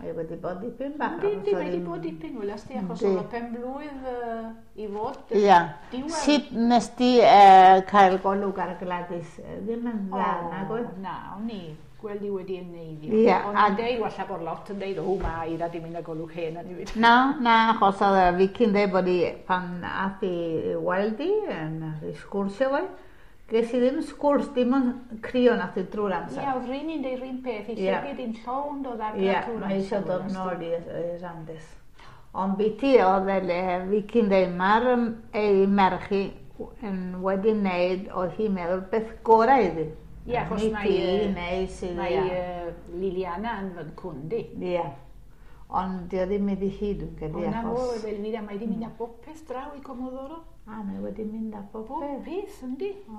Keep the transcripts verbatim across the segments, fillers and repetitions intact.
Mae wedi bod dipyn bach. Yndi, yndi, mae wedi bod dipyn, welas di, achos oedd o pen blwydd uh, i fod. Ia. Diwedd. Sut nes di uh, cael golwg ar Gladys? Ddim yn dda, nag oedd? Na, o'n i gweld i wedi eneiddio. Ia, O'n a- i'n deud, walla bod lot yn deud, o, ma, Eira di mynd â golwg hen yn i fyd. Na, na, achos oedd y Vicky'n deud bod i pan ath i weld i, yn i sgwrsio fo, ges i ddim sgwrs, dim ond crio nath i drwy'r amser. Ia, oedd rhywun yn deud rhywun peth, i Ie. llygyd i'n llond o ddagrau Ie, trwy'r mae eisiau amser, dod welas di. nôl i Randes. Ond biti oedd e le, Vicky'n deud, mae'r yym, ei merch hi yn wedi wneud, oedd hi'n meddwl beth gorau iddi. Ie, achos Nid mae, hi, yy, neu sydd, Mae ie. yy, Liliana yn fy nghwndi. Ie. Ond di o ddim iddi hi, dwi'n credu, O na fo, achos... oedd Elvira, mae di mynd â bopeth draw i Comodoro. A, mae wedi mynd â Bob popeth. peth, yndi? O.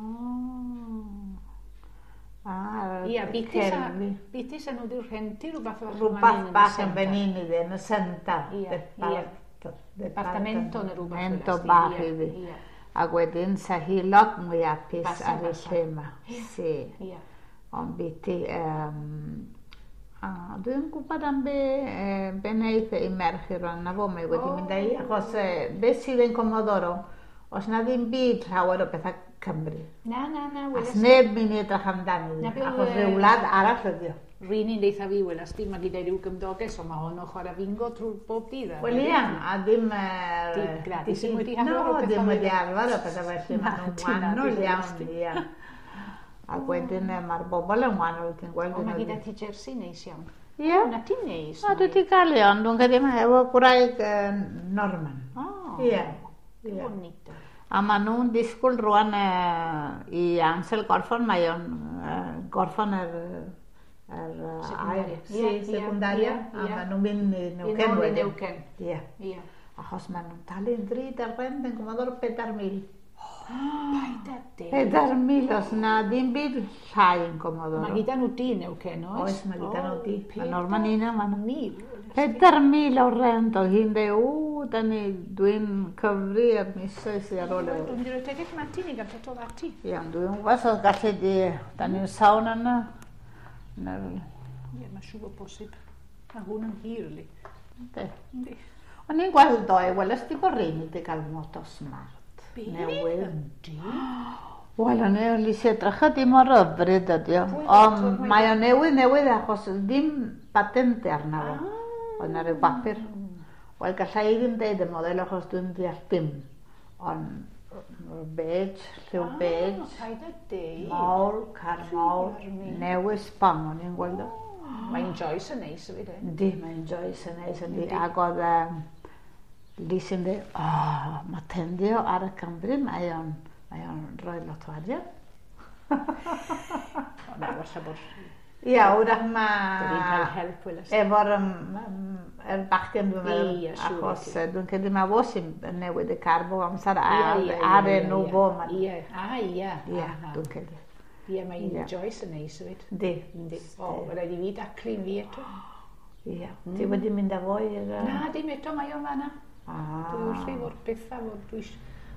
A, Ia, biti sa, cerfi. biti sa nhw wedi rhentu rhywbeth fach Rhywbeth bach yn fan hyn iddi, yn y senta. Ie, ie. Departamento neu rhywbeth. Departamento welas di, bach ie, iddi. Ie, Ac wedyn sa hi lot mwy hapus Basa, ar y basa. lle yma. Si. ie. Ond biti, um, a dwi'n gwybod am be, eh, be wneith ei merch i rhan na fo, mae wedi O. mynd â hi, achos eh, be sydd yn Comodoro, os na ddim byd llawer o bethau Cymru. Na, na, na, As welas di. neb mynd i edrych amdani, Na be oedd, achos yy, rhyw wlad arall ydi o. Rhywun yn deitha fi, welas di, mae gyda rhyw gymdoges, ond mae hon o chwarae bingo trwy bob dydd. a Wel ia, a ddim... eh, Di Gladys ddim wedi No, arfer o ddim bethau wedi fel- arfer o bethau felly, Na, maen nhw'n ti na, wahanol di iawn, welas di. ia. Ac wedyn eh, mae'r bobl yn wahanol, ti'n gweld. O, mae yn gyda ydi. ti jersey neis iawn. Ie. Na ti'n neis. O, dwi wedi cael ei ond dwi'n credu mae efo gwraig eh, Norman. O, Ie. Ie. bonito. A maen nhw'n disgwyl rwan eh, i Ansel gorffan, mae o'n eh, gorffan yr, yr eh, Secundaria. ail- Ie, Si, ie, secundaria. ie, A ie. maen nhw'n mynd i I Neuquén nôl i wedyn. Neuquén. Ie. Ie. Achos maen nhw'n talu'n ddrud ar rent yn Comodoro pedair mil. Paid â deud. Pedair mil os na ddim byd llai yn Comodoro. Mae gyda nhw di Neuquén, oes? Oes, mae gyda nhw di. O, Mae Norman un yma. Mil. Pedair mil o rent, oedd hi'n dweud, o, da ni, dwi'n cyfri ar misoedd sydd ar ôl Dwi'n efo. mynd i roi tegell mati ni gael tot o ddati. Ie, ond dwi'n gwybod os oedd gallu di, da ni'n sawn yna. Na'r, Ie, mae siŵr bod bosib. Mae hwn yn hir, li. yndi. Yndi. O'n i'n gweld ddoe, weles di bod rheini wedi cael moto smart. Be? Newydd. Yndi. Wel, o'n i eisiau edrych dim mor hyfryd ydi o. Pwy Ond ddoctor mae mae o newydd newydd achos ddim patente arno fo. Ah. Oedd na ryw bapur. Wel, gallai i ddim deud y model achos dwi'n deall dim. Ond beige, lliw beige, Ah, paid â deud. mawr, car mawr, Arni. newydd sbon o'n i'n gweld o. Mae'n Joyce yn neis hefyd, e? Yndi, mae'n Joyce yn neis, yndi. Ac oedd um, Lis yn dweud, o, mae tendio ar y Cymru, mae o'n, mae o'n rhoi lot o arian. O, na, falle bod Ia, wrach bod hi'n cael ma' help, welas di. efo'r um, um, yr bachgen dwi'n meddwl, Ie, siŵr achos i ti. eh, dwi'n credu mae fo sy'n newid y car bob amser ar, Ie, ie, ar ie, enw ie. fo. ma'n- Ie, a ie. Ie, aha. dwi'n credu. Ie, mae Ie. Joyce yn neis hefyd. Yndi. Yndi. O, mae rhaid i fi daclu'n fi eto. Ie. Ti wedi mynd â fo i'r... yy, Na, dim eto, mae o'n fanna. Ah. Dwi wrth ei fod bethau fod dwi is-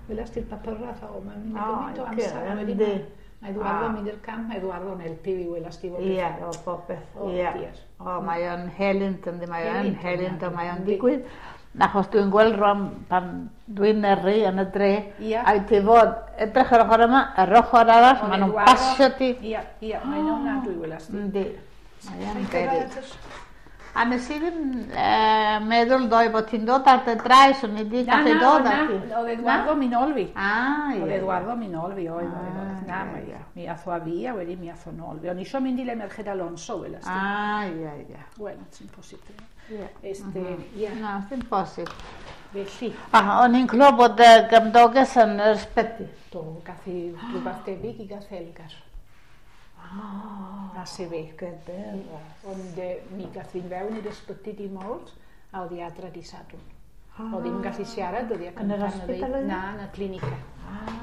welas di'r papurau o, mae'n mynd O, gymaint o ocê, amser. a wedyn yndi. ma- Mae Eduardo Ah. mynd i'r camp, mae Eduardo'n helpu fi welas di fod Ie, pethau. o popeth. O, Ie. diar. O, mae o'n helynt yndi, mae o'n Helynt, helynt o mae o'n yndi. digwydd. Achos dwi'n gweld rwan pan dwi'n yrru yn y dre, Ie. a ti fod edrych ar ochr yma, yr ochr arall, Ond maen nhw'n Eduardo- pasio ti. Ie, ie, mae'n ofnadwy welas di. Yndi. Mae o'n Mae'n beryg. cyrraedd at A nes i ddim eh, meddwl ddoe bod ti'n dod ar dy draes, o'n i wedi Na, gallu na, dod na, ar ti. oedd Eduardo mi nôl fi. Ah, Oedd ie. Eduardo mi nôl fi, oedd, oedd, oedd. Na, Ah, mae, ie. mi ath o â fi a wedyn mi ath o nôl fi. O'n i isio mynd i le Merched Alonso, welas di. Ah, ie, ie. Wel, sy'n posib. Ie. Este, ie, Na, ddim posib. felly. A o'n i'n clywed bod y gymdoges yn yr ysbyty. Do, gath hi rhywbeth debyg i gath Elgar. Ah, Na se fe. Gyda. Ond eh, mi gath fi'n fewn i'r ysbyty di Mawrth, a oedd hi adra di Sadwrn. Oedd hi'n gallu siarad, oedd hi Yn yr hospital oedd hi? Na, yn y clinica.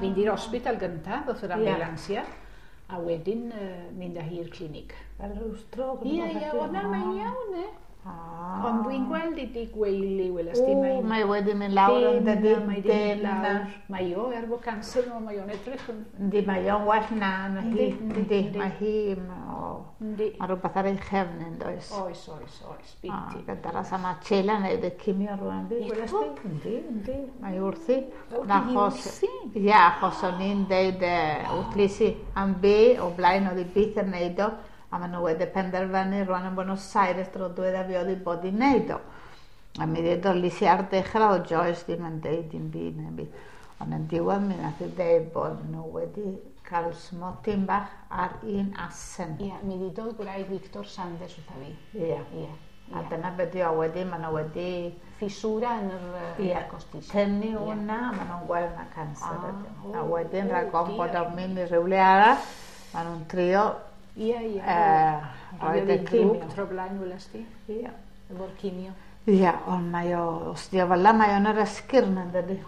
Mynd i'r hospital gyntaf, ddoth yr Ie. ambulansia, a wedyn uh, mynd â hi i'r clinig. Fel rhyw strôc. Ie, ie, o na, mae'n iawn, e. Ah. Ond fi'n gweld i di gweili, weles di. O, mae wedi mynd lawr yn dydi. Mae wedi mynd lawr. Mae o, er bod cancer nhw, mae o'n edrych yn... Yndi, mae o'n well na, na hi. Yndi, mae hi, mae rhywbeth ar ei chefn yn does. Oes, oes, oes, biti. Gyda'r as am Sheila wneud y cimio rwan fi, weles di. Yndi, yndi, mae wrthi. Ia, achos o'n i'n deud wrth Lisi am be o blaen oedd i byth yn neud o, a maen nhw wedi penderfynu rwan yn Buenos Aires dro dweda fi oedd i bod i wneud o. A mi ddeud Lisi ar dechrau o Joyce ddim yn deud dim byd neu byd. Ond yn diwedd mi nath i ddeud bod nhw wedi cael smotyn bach ar un asen. Ia, mi ddudodd gwraig Victor Sanders wrtha fi. Ia. Ia. A dyna beth yw, wedyn maen nhw wedi... Ffiswra yn yr Ia, tynnu hwnna, maen nhw'n gweld na canser ydy. A wedyn rhag ofn bod o'n mynd i rhywle arall, maen nhw'n trio... Ia, ia. Roed y cimio. Grŵp tro blaen, weles di? Ia. Efo'r cimio. Ia, ond mae o, os di o fel la, mae o'n yr esgyrn yn dydi.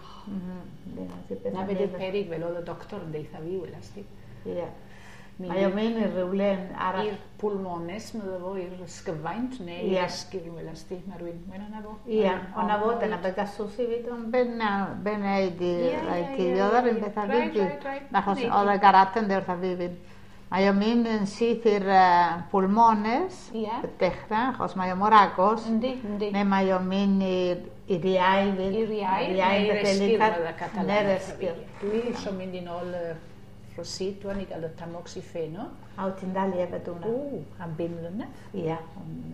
Na beth yw'r perig fel oedd y doctor yn deitha fi, weles di. Ia. Mae o'n mynd i rywle yn arall. I'r pulmones, medda fo, i'r ysgyfaint, neu i'r esgyrn, weles di. Mae rhywun, mae'n yna fo. Ia, o'na fo, dyna beth gasws i fi, ond be wneud i rhaid ti ddiodd ar un beth a fi. Achos oedd y garat yn dweud wrtha fi fyd. Mae o'n mynd yn syth i'r pulmones, dechrau, achos mae o mor agos. Yndi, yndi. Neu mae o'n mynd i'r iau fyd. I'r iau, neu i'r esgyrn, oedd y Catalan. Neu'r esgyrn. Dwi eisiau mynd i nôl y Rosit, dwi'n i gael y tamoxifeno. A wyt ti'n dal i efo hwnna? O, am bum mlynedd. Ia,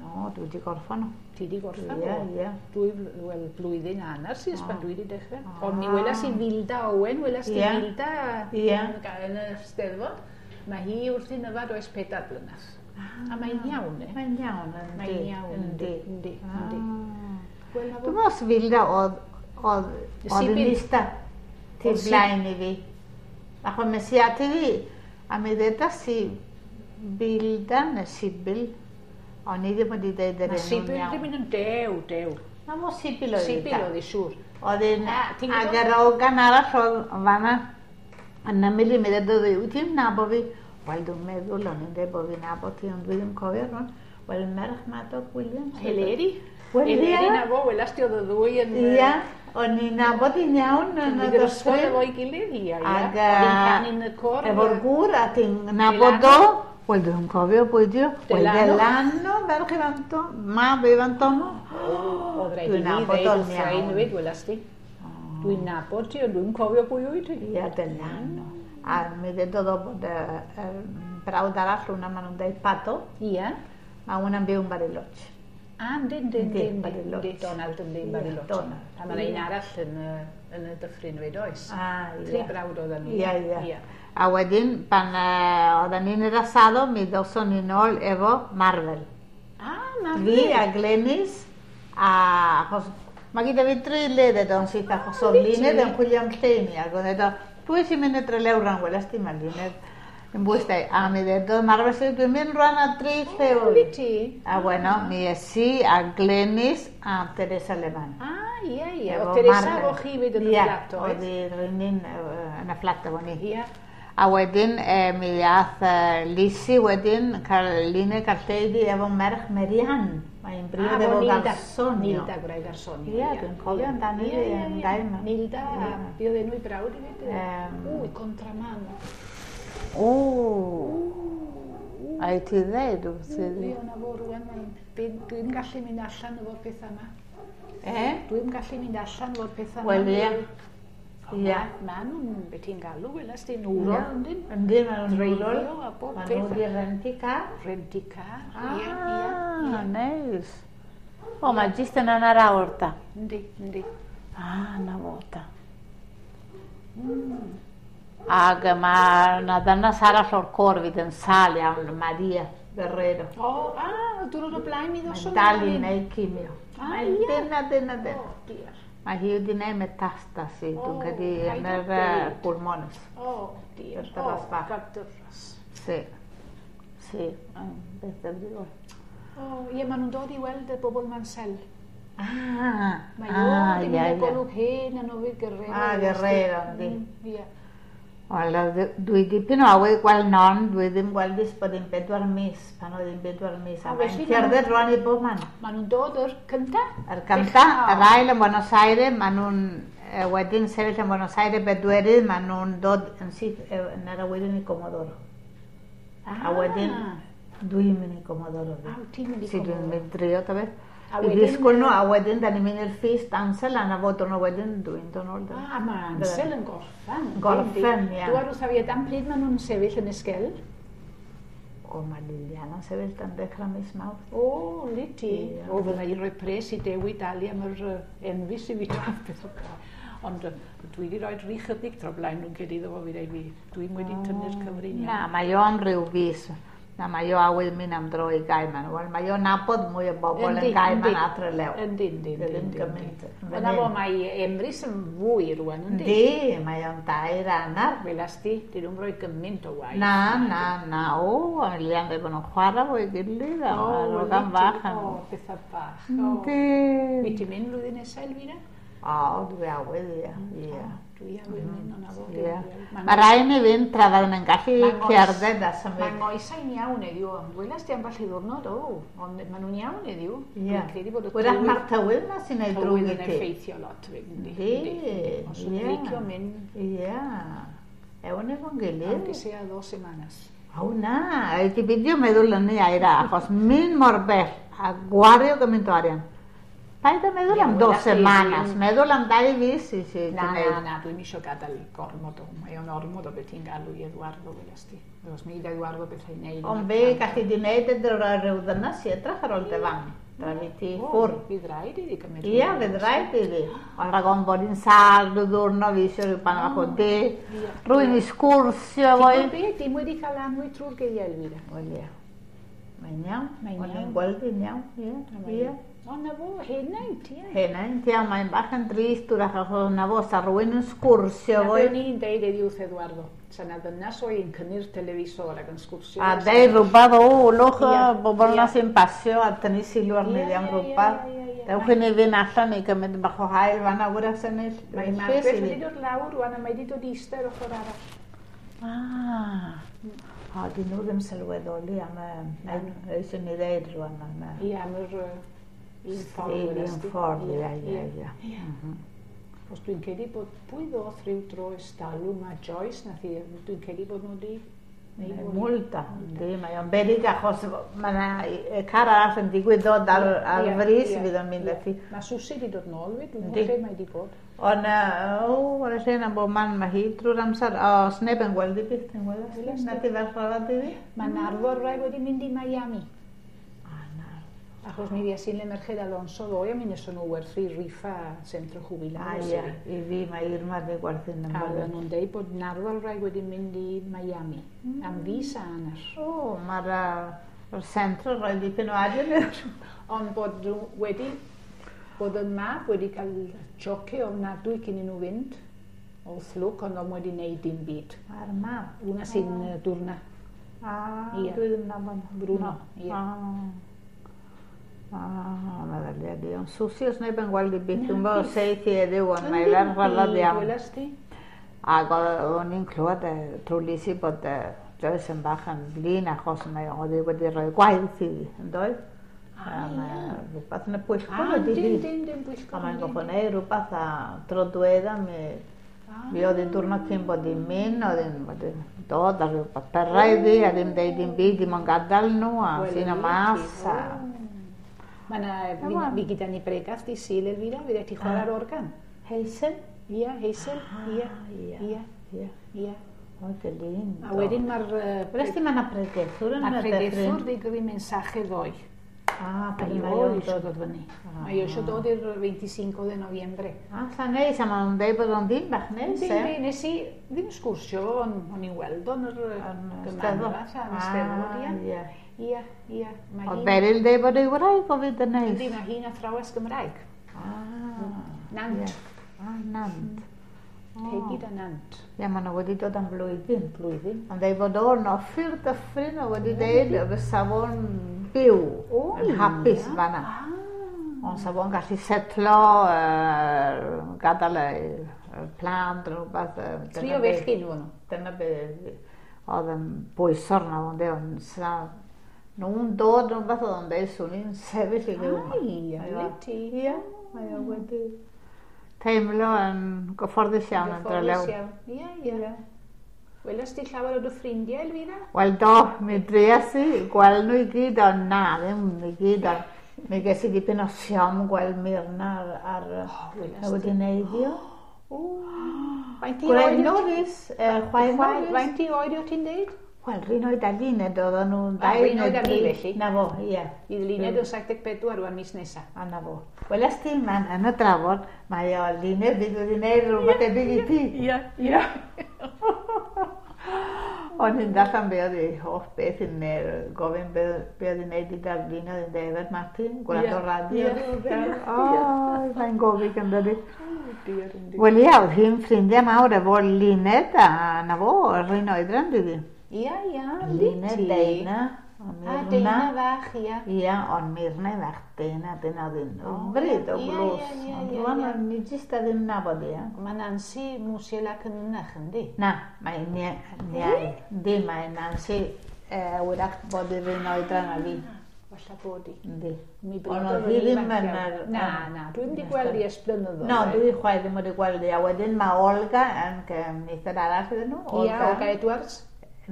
no, dwi wedi gorffan o. Ti wedi gorffan o? Ia, ia. Dwy, wel, blwyddyn a hanner sydd pan dwi wedi dechrau. Ond mi welas i Filda Owen, welas di Filda yn y Steddfod. Mae hi wrth i'n yfad oes pedair blynedd. A mae'n iawn, e? Mae'n iawn, yndi. Mae'n iawn, yndi, yndi, yndi. Dwi'n meddwl os Filda oedd, oedd, oedd yn ista tu blaen i fi. Achos mes i ati fi, a mi ddedas i Filda neu Sibyl, o'n i ddim wedi deud yr enw'n iawn. Sibyl ddim yn dew, dew. Na mo Sibyl oedd Sibyl oedd i siŵr. Oedd un, ag yr ogan arall oedd fan'na, yn ymyl i mi ddedodd i, wyt ti'n nabo fi? Wel, dwi'n meddwl, o'n i'n dweud bod fi'n nabod ti, ond dwi ddim cofio rwan. Wel, merch Madog Williams. Eleri. Wel, ia. Eleri na fo, welas di oedd y ddwy yn... Ia, o'n i'n nabod i'n iawn yn y dosbarth. Ysgol efo'i gilydd, ia, ia. Ag, oedd hi'n canu yn y côr. Efo'r gŵr, a ti'n nabod o. Wel, dwi'n cofio pwy di o. Wel, Delano, merch Ifan Tom, mab Ifan Tomo. Oedd rhaid i fi ddeud wrth rhain hefyd, welas di. Dwi'n nabod ti, ond dwi'n cofio pwy wyt ti. Ia, Delano. A mi ddedodd o bod y brawd arall hwnna, maen nhw'n dweud Pato. Ia. Mae hwnna'n byw yn Bariloche. A, yndi, yndi, yndi, yndi. Donald yndi, yn Bariloche. Donald. A mae'n un arall yn, yn y dyffryn fyd, oes? A, ia. Tri brawd oedden nhw. Ia, ia. A wedyn, pan oedden ni'n yr asado, mi ddawson ni nôl efo Marvel. A, Marvel. Fi a Glenys, a achos mae gyda fi dri le o'n syth, achos oedd Luned yn chwilio am lle i mi, ac oedd edo, pwy sy'n mynd y Trelew rhan, welas di, mae Luned yn bwys dau. A mi ddedodd Marvel sydd, dwi'n mynd rhan a dri lle o. Ti. A bueno, mi es i a Glenys a Teresa Leman. A, ie, ie. O Teresa efo chi fyd yn y fflat, oedd? Ie, oedd hi'n yn y fflat efo ni. Ie. A wedyn, mi ath Lisi wedyn, Luned cael lle iddi efo merch Marianne. Mae'n briod efo Garsonio. Nilda, gwraig Garsonio. Ie, dwi'n cofio amdani hi yn dau yma. Nilda, a be oedd enw i brawd i fyd? Ww, Contramano. O, a i ti ddeud wrth iddi? Ie, na fo rwan, dwi'n gallu mynd allan efo'r pethau yma. E? Dwi'n gallu mynd allan efo'r pethau yma. Wel, ie. Ie. Ma' nhw'n, be ti'n galw, welas di, nwrol, yndyn? Yndyn, ma' nhw'n nwrol. Dreifio a bob peth. Ma' nhw wedi renti car. Renti car, ie, ie. Ah, neis. O, mae jyst yn hanner awr ta. Yndi, yndi. Ah, na fo ta. Ac mae yna ddynas arall o'r côr fydd yn sâl iawn, Maria Guerrero. O, ah, diwrnod o blaen mi ddoson. Mae'n dal i wneud cimio. Ah, ie. Dyna, dyna, dyna. O, diar. Mae hi wedi gwneud metastasi, dwi'n credu, yn yr pulmones. O, diar. O, gadyrras. Si, si, beth ddifrifol. O, ie, maen nhw'n dod i weld y bobl Mansel. Ah, ah, ie, ie. Mae o, ddim yn golwg hen yn ofyd Guerrero. Ah, Guerrero, yndi. Ie. Wel, dwi dipyn o awydd gweld non, dwi ddim gweld ers bod hi'n bedwar mis, pan oedd hi'n bedwar mis. A mae'n cerdded rwan i bob man. Maen nhw'n dod yr cynta? Yr cynta, yr ail yn Buenos Aires, maen nhw'n wedyn sefyll yn Buenos Aires bedwerydd, maen nhw'n dod yn syth yn yr awyren i Comodoro. A wedyn dwi'n mynd i Comodoro. A ti'n mynd i Comodoro? Si, dwi'n mynd drio, ta beth. I ddisgwyl nhw, a wedyn da ni'n mynd i'r ffist Ansel, a na fod nhw wedyn dwi'n dod nôl. A mae Ansel yn gorffen. Gorffen, ia. Dwi ar wrth a fi, am pryd maen nhw'n sefyll yn Esquel? O, mae Liliana'n sefyll dan dechrau mis Mawrth. O, lit ti. O, fydda i'n rhoi pres i Dewi dalu am yr enfys i fi beth o. Ond dwi wedi rhoi rhy chydig tro blaen nhw'n credu iddo fo fi dweud fi. Dwi'n wedi tynnu'r cyfrin. Na, mae o am ryw fis. Na, mae o awydd mynd am dro i Gaiman. Wel, mae o'n nabod mwy o bobl yn Gaiman a Trelew. Yndi, yndi, yndi. Yna fo, mae Emrys yn fwy rwan, yndi? Yndi, mae o'n dair annar. Welas di, di nhw'n rhoi gymaint o waith. Na, na, na, o, Lilian dweud bod nhw'n chwarae fwy gilydd, a nhw'n gan fach. O, bethau bach. Yndi. Wyt ti'n mynd flwyddyn nesaf, Elvira? O, dwi awydd, ia. Ie. Dwi awydd mynd o'na fo. Mae rhaid ni fynd tra fydden yn gallu cerdded a symud. Mae ngoesau'n iawn heddiw, ond welas di ambell i ddwrnod, o, ond maen nhw'n iawn heddiw. Dwi'n credu bod y tywydd... Wrach mae'r tywydd ma sy'n ei drwg i ti. Tywydd yn effeithio lot, yndi. Yndi. Os yw'n licio mynd... Ie. Ewn efo'n gilydd. Aunque sea dos semanas. O na, ti beidio meddwl yn ei aira, achos mynd mor bell a gwario gymaint o arian. Paid a meddwl am dos semanas, meddwl am dau fis i si. Na, na, na, dwi'n isio gadael gormod o, mae o'n ormod o beth ti'n galw i Eduardo, welas ti. Os mi i Eduardo beth i'n neud. Ond fe gallu di neud ydy rhoi rhyw ddynas i edrych ar ôl dy fam. Tra fi ti ffwrdd. Fydd rhaid iddi gymryd. Ia, fydd rhaid iddi. Ond rhag ofn bod hi'n sâl rhyw ddwrnod fi eisiau rhyw pan bach o de. Rwy'n i sgwrsio fo i. Ti'n gwybod be, dim wedi cael annwyd trwy'r geiriau, Elvira. Wel ia. Mae'n iawn. Mae'n iawn. O'n i'n gweld hi'n iawn, ie. Ie. O, na fo, henaint, ie. Henaint, ia, mae'n bach yn drist wrach achos na fo, sa rhywun yn sgwrsio fo. Na be o'n i'n deud heddiw wrth Eduardo, sa na ddynas o i'n cynnu'r televisor ac yn sgwrsio. A deud rhywbeth, o, lwch, bobl na sy'n pasio a tynnu sylw arni am rhywbeth. Dewch i ni fynd allan i gymryd bach o haul fan wrach sy'n ei... Mae Margaret wedi dod lawr rwan a mae wedi dod eistedd ochr arall. Ah. O, dyn nhw ddim sylweddoli am y... Eisiau ni ddeud rwan am y... Ie, am yr... Un ffordd, un ffordd, ie, ie, ie. Os dwi'n credu bod pwy ddoth rhyw dro estalw mae Joyce nath i, dwi'n credu bod nhw di... Multa, yndi, mae o'n beryg achos mae yna car arall yn digwydd dod ar, ar frys fydd o'n mynd ati. Mae Susie wedi dod nôl fyd, dwi'n gwybod lle mae wedi bod. Ond, o, wrth lle yna bod man, mae hi drwy'r amser, os neb yn gweld i byth, yn gweld, na ti fel chwarae di. Mae Narfor rai wedi mynd i Miami. Achos mi fues i'n le Merched Alonso ddoe, a mi wnaethon nhw werthu rifa Centro Jubilados. Ah, ie, i fi mae Irma wedi gwerthu yn ymwneud. A oedden nhw'n deud bod Narfal rai wedi mynd i Miami, mm. am fis a hanner. O, mae'r uh, centro roi dipyn o arian i'r... Ond bod nhw wedi, bod y mab wedi cael choce ofnadwy cyn i nhw fynd, o fflwc, ond o'n wedi wneud dim byd. Mae'r mab? Wna sy'n oh. Dwrna. Ah, dwi ddim nabod. Bruno, ie. Ah. Ah, meddylia di. Ond Susie os neb yn gweld i byth, dwi'n bod seith i heddiw, ond mae ferch rhyfedd iawn. Welas di? Ac o'n i'n clywed trwy Lisi bod Joyce yn bach yn flin achos mae oedd hi wedi rhoi gwaith iddi, yn doedd? Ah, ie. Rhywbeth yn y pwyllgor wedi hi. Dim, dim, dim pwyllgor. A mae'n goffo neu rhywbeth a tro dwedda mi... Mi oedd hi'n diwrnod cyn bod hi'n mynd, oedd hi'n dod ar rhywbeth perra iddi, a ddim deud dim byd, dim ond gadael nhw, a sy'n y mas. Mae yna, fi gyda ni bregath di Sul, Elvira, fydde ti chwarae'r organ. Hazel? Ie, Hazel, ie, ie, ie. O, dy lindo. A wedyn mae'r... Wnes di mae yna pregethwr yn y Mae'r pregethwr di gyrru mensaje ddoe. Ah, Mae o eisiau dod fyny. Mae o eisiau dod i'r veinticinco de noviembre. Ah, sa neis, a maen nhw'n deud bod o'n ddim bach neis, e? Yndi, nes i ddim sgwrsio, o'n i'n weld o'n yr gymanfa, a'n Steddfod, ie. Ie, ie. Oedd Beryl deud bod ei wraig o fyd yn neis. Yndi, mae hi'n athrawes Gymraeg. Ah. Nant. Ah, Nant. Peggy da Nant. Ie, maen nhw wedi dod am blwyddyn. Blwyddyn. Ond deud bod o'n offi'r dyffryn o wedi deud fysa fo'n byw yn hapus fan'na. Ond sa fo'n gallu setlo, gadael plant, rhywbeth. Tri o fechgyn nhw. Dyna be oedd yn bwysor na fo'n deud, ond sa nhw'n dod rhywbeth oedd o'n deud, swn i'n sefyll i fyw. Ai, a ti. Ie, mae o wedi teimlo yn gyfforddus iawn yn Drelew. Gyfforddus iawn, ie, ie. Weles di llawer o dy ffrindiau, Elvira? Wel do, mi dries i gweld nhw i gyd, ond na, ddim i gyd, ond mi ges i dipyn o siom gweld Myrna ar, ar oh, wedi neiddio. Faint i Gwraig oed Norris, chwaer Norris. Faint i oed o ti'n deud? Wel, rhan oed a Luned oedden nhw'n dau. Rhan oed a fi felly? Na fo, ie. I Luned yn saith deg pedwar rwan mis nesaf. A na fo. Wel, ys ti, man, yn y drafod, mae o Luned fydd wedi gwneud rhywbeth debyg i ti. Ie, ie. O'n i'n darllen be oedd ei hoff beth yn gofyn be oedd hi'n neud i Darlene, oedd hi'n deud Martin, gwrando radio. O, mae'n gofyn gyda di. Wel ia, oedd hi'n ffrindiau mawr efo Luned a na fo, yr un oedran dydi. Ia, ia, Luned, Deina. A Deina fach, ia. Ia, ond Myrna fach, Deina, dyna oedd hi'n hyfryd o glws. Ond rwan, o'n i jyst a ddim nabod ia. Mae Nancy Musiel ac yn ynach, yndi? Na, mae niau. Yndi, mae Nancy wyrach bod i'r un oedran a fi. Falla bod i. Yndi. Ond oedd hi ddim yn yr... Na, na, dwi'n wedi gweld i ers blynyddoedd. No, dwi chwaith ddim wedi gweld i. A wedyn mae Olga yn nither arall iddyn nhw. Ia, Olga Edwards.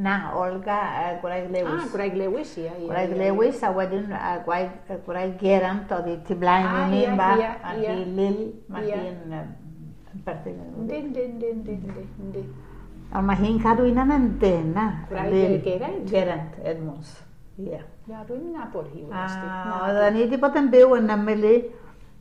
Na, Olga Gwraig Lewis. Ah, Gwraig Lewis, ia. Gwraig Lewis, a wedyn Gwraig Geraint oedd hi tu blaen i ni bach, a hi Lil, mae hi'n perthyn. Yndi, yndi, yndi, yndi, yndi. Ond mae hi'n cadw un yn dena. Gwraig Geraint? Geraint Edmunds, ia. Ia, dwi'n nabod hi. Oedden ni wedi bod yn byw yn ymylu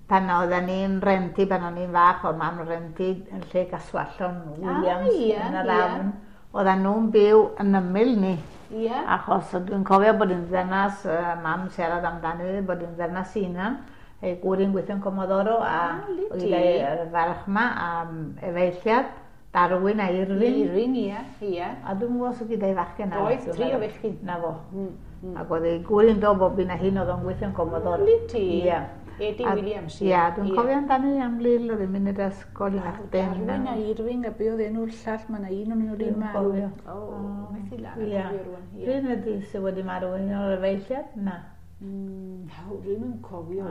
pan oedden ni'n renti, pan o'n i'n fach, oedd mam renti yn lle Caswallon Williams yn yr afn. Oedden nhw'n byw yn ymyl ni. Yeah. Achos dwi'n cofio bod yn ddynas, uh, mam siarad amdani, bod yn ddynas hunan, ei gŵr yn gweithio'n Comodoro, a ah, gyda'r ferch yma, a efeilliad, Darwin a Irwin. Irwin, ie, ie. A dwi'n gwybod os gyda'i fachgen. Oedd, tri o fechgyn. Na fo. Mm, mm. Ac oedd ei gŵr yn dod bob un a hyn oedd o'n gweithio'n Comodoro. Liti? Ie. Eddie Williams. Ie, dwi'n cofio amdani am Lil, oedd hi'n mynd i'r ysgol i'n achden. Darwin a Irving, a be oedd enw'r llall, mae yna un o'n nhw wedi marw. O, methu lan a cofio rwan. Rwy'n ydy sydd wedi marw yn o'r efeilliad? Na. Rwy'n yn cofio.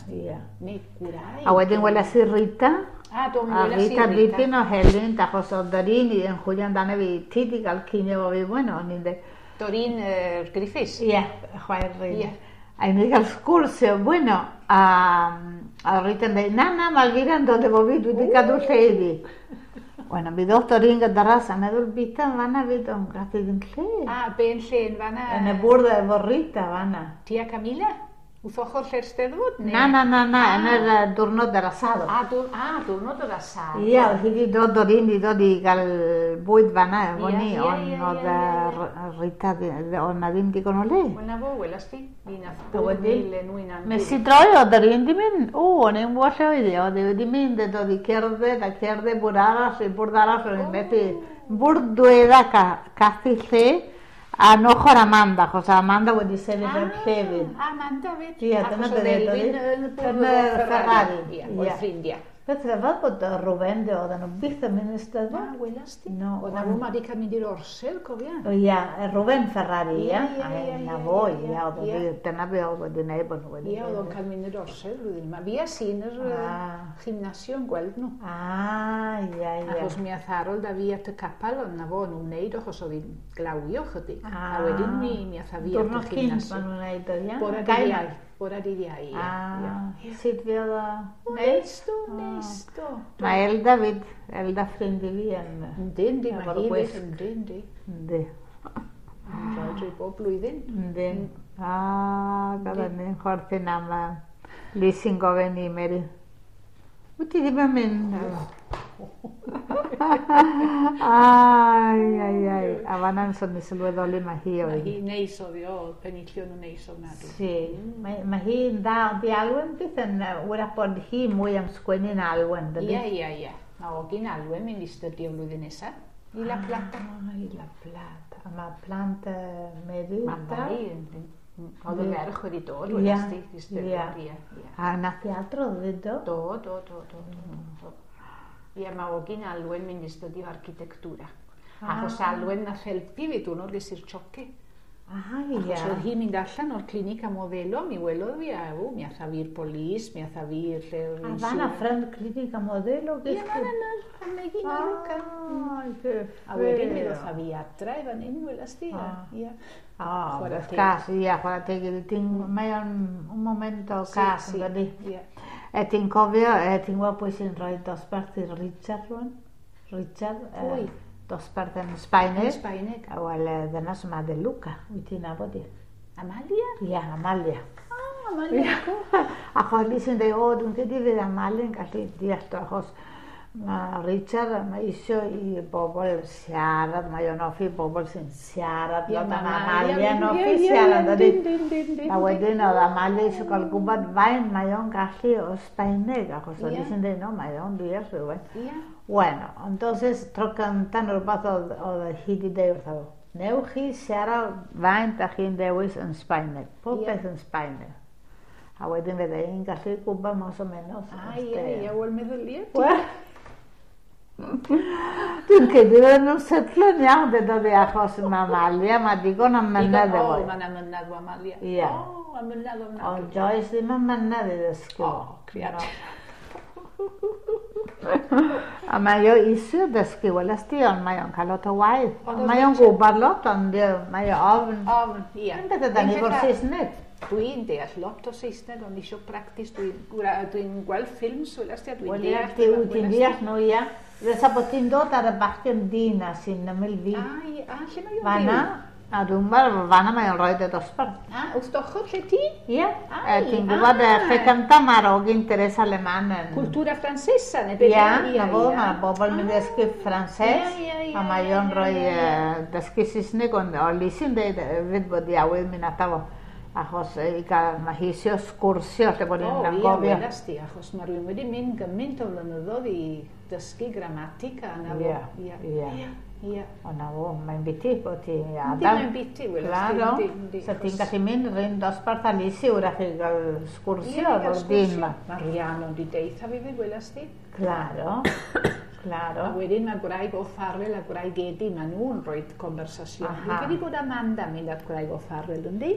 Ie. Neu gwraig. A wedyn weles i Rita. A, do, mi weles i Rita. A Rita dipyn o helynt, achos oedd yr un yn chwilio amdano fi, ti di gael cinio efo fi, bueno, o'n i'n dweud. Doreen Griffiths? Ie, chwaer Rita. A i ni gael sgwrs, bueno, a, a Rita yn dweud, na, na, mae Elvira'n dod efo fi, dwi wedi cadw lle iddi. Bueno, mi ddoth Doreen gyda ras, a meddwl bita yn fanna fyd, ond gath i ddim lle. A, be yn lle yn fanna? Yn y bwrdd efo Rita fanna. Ti a Camilla? Wrth ochr lle'r Steddfod? Na, na, na, na, yn yr diwrnod yr asado. A, diwrnod yr asado. Ie, oedd hi wedi dod Doreen wedi dod i gael bwyd fanna efo ni, ond oedd Rita, oedd na ddim digon o le. Wel na fo, welas ti, mi nath bwyd mil enw i'n angyr. Nes i droi, oedd Doreen di mynd, o, o'n i'n gwybod lle oedd hi, oedd hi wedi mynd, oedd hi cerdded a cerdded bwrdd arall, bwrdd arall, o'n i'n methu, bwrdd dwedda cathu lle, A ochr Amanda, achos Amanda wedi sefyll yn llefydd. Amanda fyd. Ie, dyna Achos oedd Elfyn yn y bwrdd Ferrari. Ie, oedd ffrindiau. Beth rhyfedd bod Rwben, oedden nhw byth yn mynd i'r Steddfod. Na, welas di. No, oedd na rhywun wedi cael mynd i'r orsedd, cofia. O ia, Rwben Ferrari, ia. Na fo, ia, oedd dyna be oedd wedi gwneud bod nhw wedi. Ia, oedd o'n cael mynd i'r orsedd flwyddyn yma. Fi a sy'n yr gymnasio yn gweld nhw. Ah, ia, ia. Achos mi ath Harold a fi at y capel, ond na fo, nhw'n wneud achos oedd hi'n glawio chydig. A wedyn mi, mi ath a fi at y gymnasio. Diwrnod cynt maen nhw'n wneud o, ia? Bore dydd Iau. Bore dydd Iau, ia. Ah, sut fi oedd o? Neis do, neis do. Mae Elda fyd, Elda ffrind i fi yn... Yndi, yndi, mae hi fyd, yndi, yndi. Yndi. Yn rhoi drwy bob blwyddyn. Yndi. Ah, gafon ni'n chwerthin am Liz yn gofyn i Mary. Wyt ti ddim yn mynd? Ai, ai, ai. A fanna'n sôn i sylweddoli mae hi oedd. Mae hi neis oedd hi, oedd penillion yn neis ofnadwy. Si, mae, mae hi'n dda, ond di Alwen byth yn, wrach bod hi mwy am sgwennu'n Alwen, dydy? Ie, ie, ie. Mae ogyn Alwen mynd i stydio flwyddyn nesaf. I La Plata. Ah, i La Plata. A mae plant uh, Mary. Mae Mary, oedd y ferch wedi dod, welas di, i stydio. Ie, ie. A nath i adrodd fyd, do? Do, do, do, do, do. Ie, mae ogyn Alwen mynd i studio architectura. Achos Alwen nath helpu fi diwrnod ges i'r choque. Ah, ie. Achos oedd hi'n mynd allan o'r clinic a modelo, mi welodd fi a ew, mi atha fi'r polis, mi atha fi i'r lle... A fanna ffrind clinic a modelo? Ie, fanna yna, yn Megin a Luca. Ai, che A wedyn mi ddoth a fi adre i fan hyn, welas di. Ie. Ah, cas, ie, chwarae teg iddi. Ti'n, mae o'n un momento cas, yn dydi? Ie. E ti'n cofio, e ti'n gweld pwy sy'n rhoi dosbarth i Richard rwan? Richard? Pwy? Dosbarth yn Sbaeneg. Yn Sbaeneg. Wel, dyna sy'n de Luca, wyt ti'n nabod i? Amalia? Ie, Amalia. Ah, Amalia. Achos li sy'n dweud, o, dwi'n credu fydd Amalia yn gallu deall o, achos mae Richard, mae isio i bobl siarad, mae o'n hoffi bobl sy'n siarad, lot am Amalia yn hoffi siarad, ydy. A wedyn oedd Amalia eisiau cael gwybod faint mae o'n gallu o Sbaeneg, achos oedd sy'n dweud, no, mae o'n deall rhywbeth. Bueno, entonces, tro cyntaf neu rhywbeth oedd, oedd hi wedi deud wrtho fo, newch chi siarad faint a chi'n dewis yn Sbaeneg, pob peth yn Sbaeneg. A wedyn fydde hi'n gallu gwybod mas o menos. Ah, ie, ie, wel meddyliau. Wel, dwi'n credu fydden nhw'n setlo'n iawn, dedodd hi, achos mae Amalia, mae digon o mynedd efo. O, mae'n amynedd o Amalia. Ie. O, amynedd o amynedd. Ond Joyce ddim yn mynedd i ddysgu. O, creadur. A mae o eisiau dysgu, weles di, ond mae o'n cael lot o waith. Mae o'n gwybod lot, ond mae o ofn. Ofn, ie. Yn beth ydan ni fo'r Saesneg. Dwi'n deall lot o Saesneg, ond eisiau practis. Dwi'n dwi gweld ffilms, weles di, a dwi'n deall. Wel, ti'n deall nhw, ia. Fysa bod ti'n dod ar y bachgen dyn a sy'n ymyl fi. A, ie, a lle mae o'n byw? Fanna, a dwi'n meddwl, fanna mae o'n rhoi y dosbarth. A, wrth ochr lle ti? Ie, ti'n gwybod, lle cyntaf mae'r ogyn Teresa Alemán yn... Cultura francesa, neu beth? Ie, na fo, mae bobl yn dysgu Ffrancés, a mae o'n rhoi dysgu Saesneg, ond o Lisy'n dweud hefyd bod i awydd mynd ato fo. Achos i gael, mae hi eisiau sgwrsio lle bod hi'n anghofio. O, ie, welas di, achos mae rhywun wedi mynd gymaint o flynyddoedd i dysgu gramatica. Ie, ie. Ie. O na fo, mae'n biti bod ti adael. Yndi, mae'n biti, welas di. Claro, so ti'n gallu mynd rhywun dosbarth a Lisi wrach i gael sgwrsio efo'r dyn ma. Mae Rhiannon di deitha fi fi, welas di. Claro, claro. A wedyn mae gwraig o Farrell a gwraig Edi, maen nhw'n rhoi conversasiwn. Dwi'n credu bod Amanda mynd at gwraig o Farrell, yndi?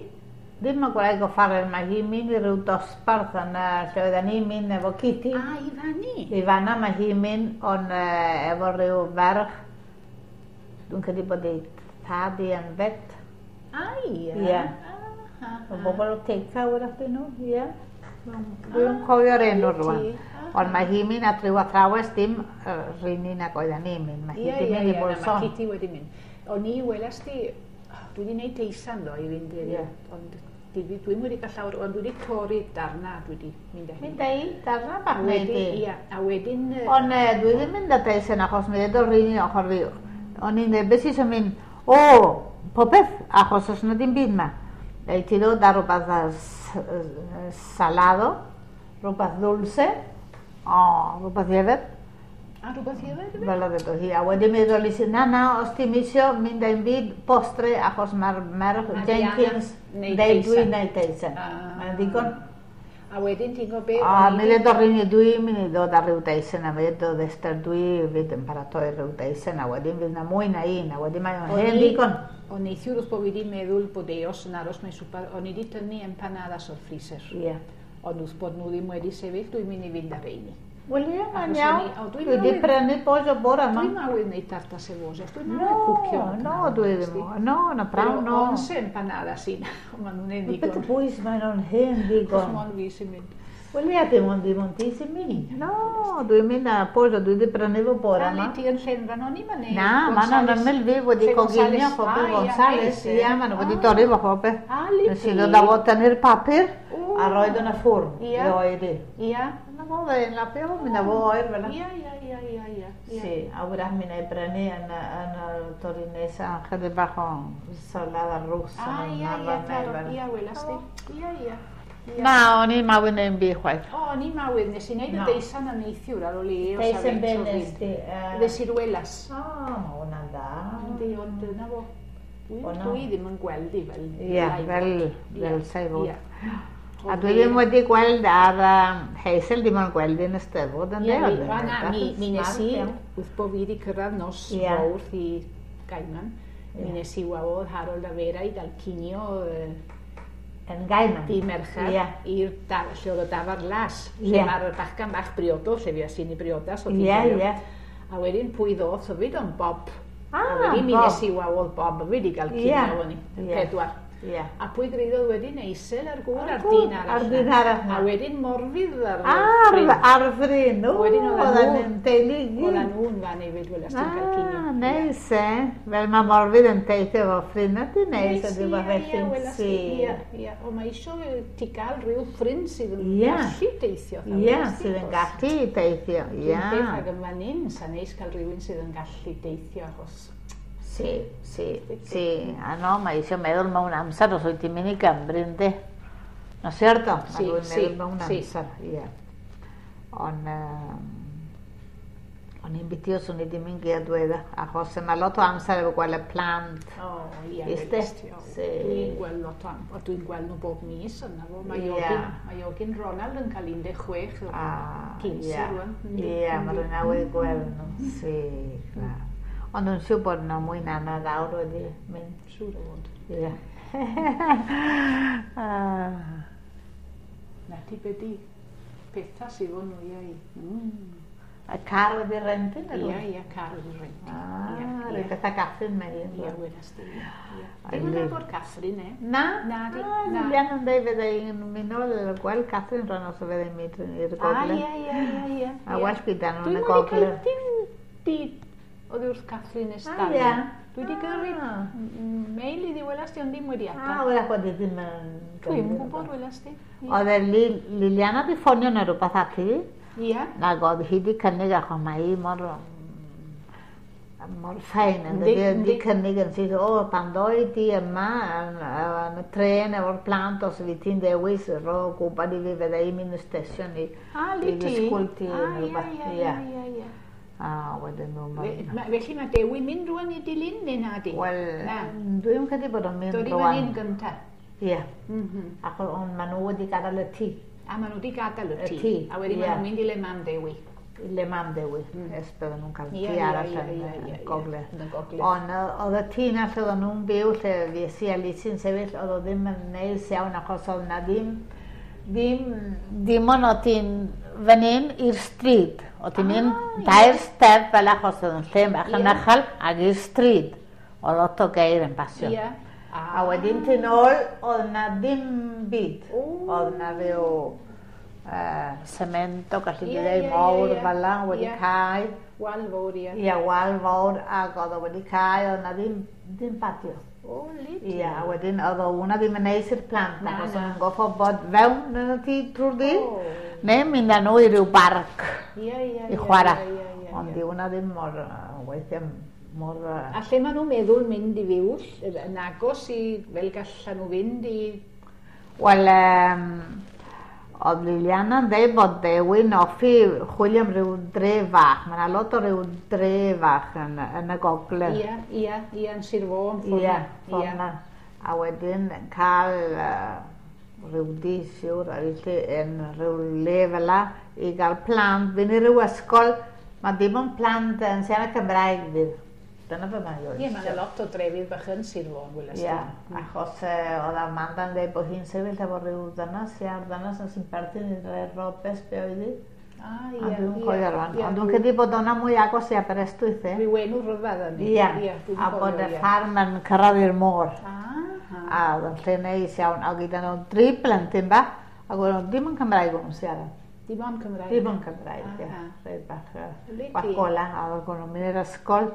Ddim mae gwraig o Farrell, mae hi'n mynd i ryw dosbarth yn lle oedden ni'n mynd efo Kitty. A, i fanni? I fanna mae hi'n mynd ond efo rhyw ferch. Dwi'n credu bod ei tad i yn vet. A, ie? Ie. O bobl o Teica wrach dyn nhw, ie. Dwi'n cofio'r enw rwan. Ond mae hi'n mynd at ryw athrawes dim rhywun nag oedden ni'n mynd. Mae hi wedi mynd i Bolson. Ie, mae Kitty wedi mynd. O'n i welas di, dwi wedi gwneud teisan do i fynd i'r... Ond dwi'n wedi cael llawer, ond dwi wedi torri darna, dwi wedi mynd â hi. Mynd â hi, darna bach wneud i. Ie, a wedyn... Ond dwi ddim mynd â teisan achos mi ddweud o'r rhywun ochr fi. O'n i'n dweud, beth sy'n mynd, o, popeth, achos os yna dim byd ma. Ei ti ddod ar rhywbeth salado, rhywbeth dulce, o, rhywbeth i yfed. A rhywbeth i yfed? Fel oedd edo hi. A wedyn mi ddod i na, na, os ti'n isio mynd â'n byd postre, achos mae'r merch Jenkins deud dwi'n neud teisen. Mae'n ddigon. A wedyn ti'n gwybod be... A mi ddweud o'r un dwi'n mynd i ddod ar ryw deisen, a mi ddweud Esther dwi fydd yn paratoi rhyw deisen, a wedyn fydd na mwy na un, a wedyn mae o'n hen ddigon. O neithiwr wrth bod fi wedi meddwl bod eos yn aros mewn swper, o'n i wedi tynnu empanadas o'r freezer. Ie. Ond wrth bod nhw ddim wedi sefyll, dwi'n mynd i fynd ar reini. Wel ie, mae'n iawn. Dwi wedi prynu pollo bore yma. Dwi'n awydd wneud tarta cebolla, dwi'n awydd cwcio. No, dwi ddim. No, na prawn, no. Once empanadas i, maen nhw'n hen ddigon. Beth y bwys, maen nhw'n hen ddigon. Cos mond fi sy'n mynd. Wel ie, dim ond dim ond ti sy'n mynd. No, dwi'n mynd â pollo, dwi wedi prynu fo bore yma. Ali, ti yn Llenfan o'n i, ma'n Na, ma'n yn ymyl fi wedi coginio phobl Gonzales. Ie, maen nhw wedi dorri fo phobl. Ali, Nes i ddod â fo tynnu'r papur a roed yn y ffwrn i oeri. Ie. Na fo, fe'n lapio fo, mynd â fo oer fel 'na. Ie, ie, ie, ie, ie. Si, a wrach mi wna i brynu yn y torri nesa, chydig bach o salada rusa. Ah, ie, ie, claro, ie, welas di. Ie, ie. Na, o'n i'n mawydd neu'n byd chwaith. O, o'n i'n mawydd, nes i wneud y deisan yn neithiwr ar ôl i eos a Deisen be nes di? De ciruelas. O, mae hwnna'n dda. Yndi, ond dyna fo. Dwi ddim yn gweld i fel... Ie, fel, fel sa'i fod. A dwi ddim wedi gweld ar um, Hazel, dim ond gweld yn y Steddfod yn de? Ie, na, mi, mi nes i, wrth bo fi wedi cyrraedd nos yeah. fawrth i Gaiman, yeah. mi nes i wawodd Harold a Vera i gael cinio yn Gaiman. Di Mercher, yeah. i'r lle oedd y dafar las, lle yeah. mae'r bachgan bach briodol, lle fi i'n i briodas. Ie, yeah, ie. A wedyn pwy ddoth hefyd ond Bob. Ah, a wedyn mi nes i wawodd Bob hefyd i gael cinio yeah. fyny, y yeah. pedwar. Yeah. A pwy greiddodd wedyn Eisel a'r gŵr a'r dyn arall. A'r dyn arall. A wedyn Morfydd ar fryn. Ar fryn, o. Wedyn oedden nhw'n teulu gyd. Oedden nhw'n fan hefyd, welas ti'n cael cinio. Ah, neis e. Fel mae Morfydd yn teithio efo ffrind ydy neis. Neis, ie, ie, welas ti. Ie, ie. O, mae isio ti gael rhyw ffrind sydd yn gallu teithio. Ie, sydd yn gallu teithio, ie. Dwi'n beth ag yn fan hyn, sa'n neis cael rhywun sydd yn gallu teithio achos... Sí, sí, sí. Ah, no, mae eisiau meddwl mewn amser os wyt ti'n mynd i Gymru, yndi? No cierto? Sí, mae sí, meddwl mewn sí. amser, ie. Ond, um, o'n i'n biti os o'n i ddim yn gyda dweud, achos yma lot o amser efo gweld y plant. O, ie, Iste? Sí. Dwi'n gweld lot o amser, dwi'n gweld nhw bob mis yna fo. Mae Iogin, mae Iogin Ronald yn cael un deg chwech o cinsi rwan. Ie, mae rhywun awydd gweld nhw. Sí, clar. Ond yn siŵr bod yna mwy na na lawr wedi mynd. Siŵr o fod. Ie. Na ti be di pethau sydd o'n nhw i. A car wedi rentu? Ie, ie, car wedi rentu. Ah, rhyw beth a Catherine mae un. Ie, welas di. Dim yn nabod Catherine, e? Na? Na, di. Na, Lilian yn dweud fydde i'n mynd nôl gweld Catherine rhan os fydde i'n mynd i'r gogledd. Ah, ie, ie, ie, ie. A well gyda nhw yn y gogledd. Dwi'n wedi cael dim oedd wrth Catherine Stanley. Ah, ie. Dwi wedi gyrru mail iddi welas di, ond ddim wedi Ah, ateb. wrach bod i ddim yn... Dwi'm yn gwybod welas di. Oedd e Liliana di ffonio neu rhywbeth ati. Ie. Nag oedd hi di cynnig achos mae hi mor... mor ffain. Yndi, di cynnig yn syth, o, pan ddoi di yma yn, yn y tren efo'r plant, os fi ti'n dewis, ro gwybod i fi fydda i'n mynd y stesiwn i... Ah, li i ti? ddysgwyl ti. Ah, ie, ie, ie, ie. A wedyn nhw... Felly mae Dewi mynd rwan i dilyn neu na di? Wel, dwi'n credu bod o'n mynd Dod i rwan. fan hyn gynta? Ie. Achos ond maen nhw wedi gadael y tŷ. A maen nhw wedi gadael y tŷ. tŷ. A wedyn maen nhw'n mynd i le mam Dewi. I le mam Dewi. Ers bydden nhw'n cael tŷ arall yn y gogledd. Yn y gogledd. Ond oedd y tŷ na lle oedden nhw'n byw, lle fues i a Lisi'n sefyll, oedd o ddim yn neis iawn achos oedd na ddim ddim, dim ond o ti'n fan hyn i'r stryd. O ti'n mynd dair step fel achos oedd yn lle bach yn uchel ag i'r stryd. Oedd lot o geir yn pasio. Yeah. A wedyn ti'n ôl, oedd na ddim byd. Oedd na rhyw uh, cemento, gallu Ie, yeah, dweud, ie, mawr ie, ie. fel la, wedi Ie. cau. Wal fawr, ie. Ie, wal fawr, ac oedd o wedi cau, oedd na ddim, ddim patio. O, lit. Ie, a wedyn oedd o hwnna ddim yn neis i'r plant, Na, achos na. o'n nhw'n goffo bod fewn yn y tŷ trwy'r dydd, O. neu mynd â nhw i ryw barc Ie, ie, i ie, chwarae. ie, ie, ie, Ond ie. di hwnna ddim mor, yy, weithiau mor... yy, A lle maen nhw'n meddwl mynd i fyw, yn agos i, fel gallan nhw fynd i... Wel, um, oedd Liliana'n dweud bod Dewi'n hoffi chwilio am ryw dre fach. Mae yna lot o ryw dre fach yn, yn y gogledd. Ie, ie, ie, yn Sir Fôn, ffordd Ie, 'na. ffordd 'na. A wedyn cael uh, rhyw di, siwr, a felly yn rhyw le fel la, i gael plant, fynd i ryw ysgol. Mae dim ond plant yn siarad Cymraeg fydd. Dyna be mae o. Ie, mae yna lot o drefydd bach yn Sir Fôn, weles di. Ie, achos uh, oedd Amanda'n dweud bod hi'n sefyll efo rhyw ddynas, ie, a'r ddynas yn sy'n perthyn i'r Robes, be oedd hi. Ah, ie, A dwi'n ie, cofio rwan. ie, Ond dwi'n dwi- credu bod o'na mwy agos i Aberystwyth, e. Rhyw enw rhyfedd yn Ie, dwi'n a bod cofio, y ie. ffarm yn cyrraedd i'r môr. Ah, A oedd yn lle neis iawn, a gyda nhw dri blentyn bach, ac oedd nhw ddim yn Cymraeg o'n nhw'n siarad. Dim ond Cymraeg. Ddim yn Cymraeg, ie. Aha. Rhaid bach, yy, Lydi. bach gola, a oedd nhw'n mynd i'r ysgol.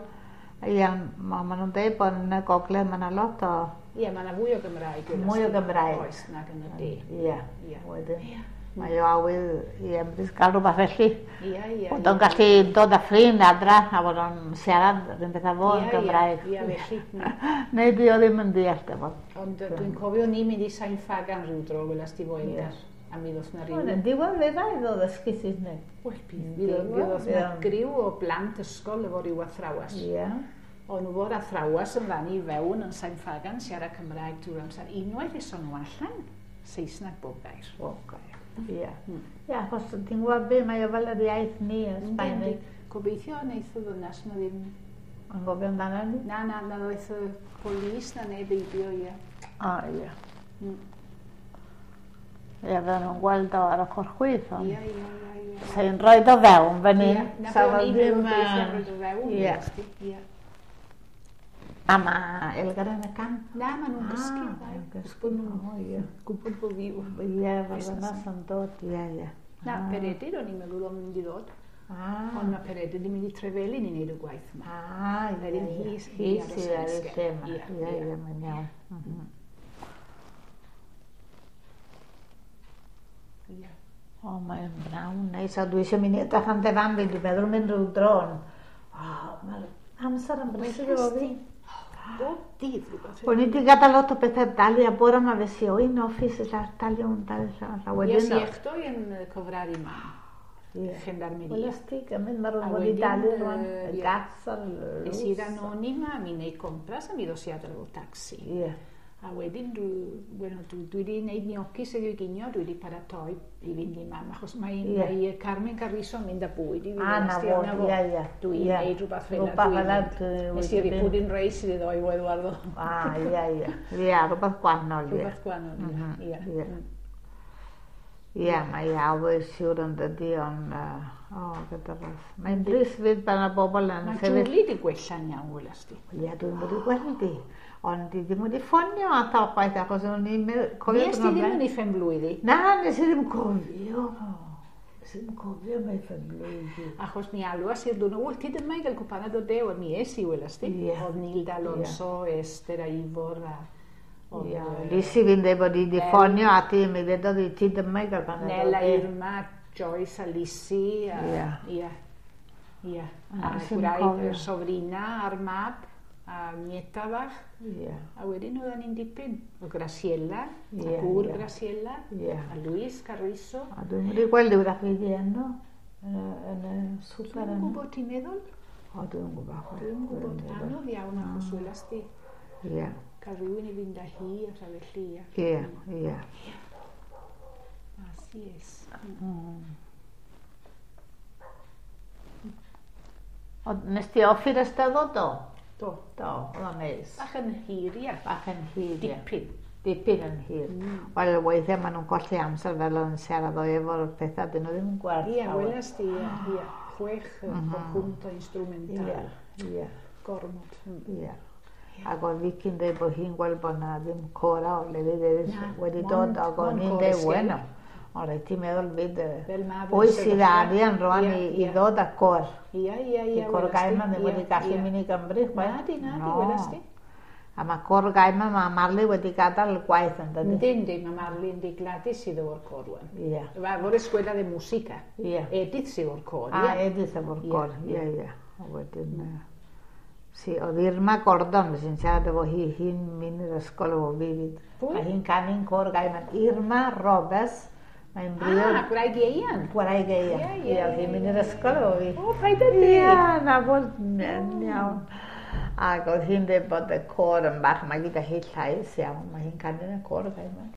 Ie, ma, ma nhw'n dweud bod yn y gogledd mae yna lot o... Ie, mae yna fwy o Gymraeg. weles Mwy o di. Gymraeg. Oes, nag yn y de. Ie, Ie. wedyn. Ie. Mae o awydd i Emrys gael rhywbeth felly. Ie, ie. Bod o'n gallu dod â ffrind adra a bod o'n siarad yr un peth â fo yn Ie, Gymraeg. Ie, ie, felly. Neu di o ddim yn deall dy fod. Ond yy, dwi'n cofio ni mynd i Sain Ffagan rhyw dro, welas di fo Eldar. A mi ddoth na Wel, ryw... yn diwedd fe dda i ddod ddysgu Saesneg. Wel, bydd, mi ddoth na griw o blant ysgol efo ryw athrawes. Ie. O'n nhw fo'r athrawes yn fan i fewn yn Sain Ffagan, siarad Cymraeg drwy'r amser. Unwaith eson nhw allan. Saesneg bob gair. Bob gair, ie. Ie, achos ti'n gwybod be, mae o fel yr iaith ni, y Sbaeneg. Gobeithio wneith y ddynas na ddim... Yn gofio amdano ni? Na, na, na ddoeth y polis na neb heibio, ie. O, ie. Ie, fydden nhw'n gweld o ar ochr chwith, ond... Ie, ie, ie, ie. Sa'n rhoi o fewn fan hyn. Ie, na be o'n i'n meddwl beth am roid o fewn. Ie. A mae Elgar yn y camp. Na, maen nhw'n gysgu. Ah, maen nhw'n gysgu. O, ie. Gwybod bod fi. Ie, fel ddynas yn dod, ie, ie. Na, Peredur o'n i'n meddwl o'n mynd i ddod. Ah. Ond mae Peredur wedi mynd i Trefelin i wneud y gwaith yma. Ah, ie, ie. Hi sydd ar y lle yma. Ie, ie, mae'n iawn. O, mae'n brawn neis. A dwi eisiau mynd i edrych am dy fam fi, dwi'n meddwl mynd rhyw dron. O, mae'r amser yn brysur efo fi. Bob dydd rhywbeth. O'n i wedi gadael lot o bethau dalu a bore yma fes i o un office ella talu un talu lla. Ie, si echdo yn cyfraru ma. Gendarmeria. Wel, ys ti gymryd, mae rhywun wedi dalu rwan, y gas a'r lws. Es i'r anonima, mi wneud compras a mi ddos i adre efo taxi. Ie. A wedyn, dwi, bueno, dwi, dwi wedi gwneud gnocchis heddiw i ginio, dwi wedi paratoi i fynd i mam, achos mae, yeah. mae Carmen Carrizo yn mynd â bwyd i fi. Ah, na fo, ie, ie. Dwi'n gwneud rhywbeth fel yna. Nes i roi pudding rice iddo i Eduardo. Ah, ie, ie. Ie, rhywbeth gwahanol, ie. Rhywbeth gwahanol, ie. Ie, ie, mae always siwr yn dydi, ond, o, gyda ras. Mae'n drist fyd pan y bobl yn Mae Julie di gwella'n iawn, welas di. Ie, dwi'n wedi gweld i. Ond di ddim wedi ffonio at o chwaith, achos o'n i'n cofio... Nes ti ddim yn ei phen-blwydd i? Na, nes i ddim cofio. Nes i ddim cofio mae phen-blwydd i. Achos mi alwas i'r dwrnod, wyt ti dyma i gael cwpanad o de, mi es i, welas di. Oedd Nilda Alonso, Esther a Ifor a... Ie, Lisi fi'n dweud bod i wedi ffonio ati, mi ddedodd i ti dyma i gael panad o de. Nela, Irma, Joyce a Lisi. Ie. Ie. Ie. A gwraig Sobrina a'r mab. A nieta bach. Yeah. A wedyn oedden ni'n dipyn. O Graciela, yeah, a gŵr yeah. Graciela, yeah. a Luis Carrizo. A dwi'n wedi gweld wrach fi di enw yn y swper yno. Dwi'n gwybod ti'n meddwl? O, dwi'n gwybod. Dwi'n gwybod. Anodd iawn achos welas di. Ie. Cael rhywun i fynd â hi a rha felly. Ie, ie. Así es. O, nes ti offi'r Eisteddfod do? Do. Do, oedd o'n neis. Bach yn hir, ia. Bach yn hir, ia. Dipyn. Dipyn yn hir. Mm. Wel, weithiau maen nhw'n colli amser fel o'n siarad o efo'r pethau, dyn nhw ddim yn gweld. Ia, welas di, ia. Ia. Chwech mm-hmm. conjunto instrumental. Ia, ia. Gormod. Ia. Ac oedd Vicky'n dweud bod hi'n gweld bod na ddim cora o lefydd eraill wedi dod, ac oedd hi'n dweud, bueno, ond rhaid ti'n meddwl fyd, pwy sydd arian rwan i, i ddod â cor. Ia, ia, ia. Di Cor Gaiman ddim wedi gallu mynd i Gymru, chwaith. Na di, na di, welas di. A mae Cor Gaiman, mae Marley wedi gadael y gwaith yn dydi. Yndi, yndi, mae Marley yn di Gladys sydd o'r cor rwan. Ia. Efo'r escuela de música. Ia. Edith sydd o'r cor, ia. A, Edith efo'r cor, ia, ia. A wedyn, si, oedd Irma Gordon, sy'n siarad efo hi, hi'n mynd i'r ysgol efo fi fyd. Pwy? A hi'n canu'n Cor Gaiman. Irma Roberts. Mae'n briod... Ah, gwraig Ieuan. Gwraig Ieuan. Ie, ie. Ie, oedd hi'n mynd i'r ysgol efo fi. O, paid â di. Ie, na fod, iawn. Ac oedd hi'n dweud bod y côr yn bach, mae gyda hi llais iawn, mae hi'n canu yn y côr Gaiman.